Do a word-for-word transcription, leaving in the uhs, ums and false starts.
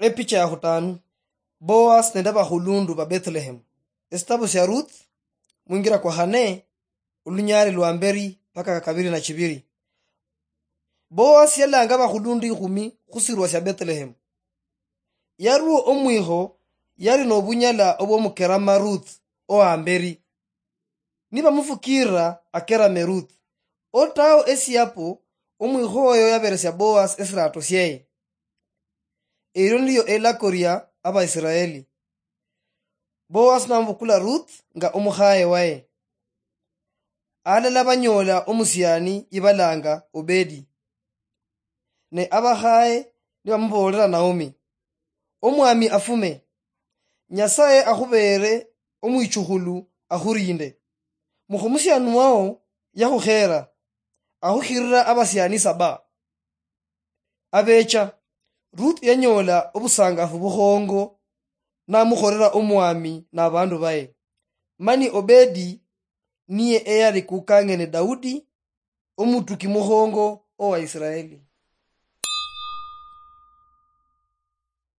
Epicha ya khutanu. Boaz nende abakhulundu ba Bethlehem. Esitabu sia Ruth, mwingira kwa khane, olunyali lwa mberi paka kabiri na chibiri. Boaz yalanga abakhulundu ikhumi khusirwa sia Bethlehem. Yarwo omwikho yali nobunyala obwomukerama Ruth owamberi. Nibamufukirira akerame Ruth. Otao esiapo, omwikho oyo yaberesia Boaz esirato sieye. Elio nilio elako lia Abaisiraeli. Boaz namubukula Ruth nga omukhaye waye. Alala banyola omusiani ibalanga Obedi. Ne abakhaye nibamuboolera Naomi, "Omwami afume, Nyasaye akhubeere omwichukhulu, akhurinde. Mukha omusiani wao yakhukheera, akhukhirira abasiani saba." Abecha, Ruth yanyoola obusangafu bukhongo, namukhorera omwami nabandu baye. Mani Obedi niye eyali kukang'ene Daudi, omutuki mukhongo owa Isiraeli.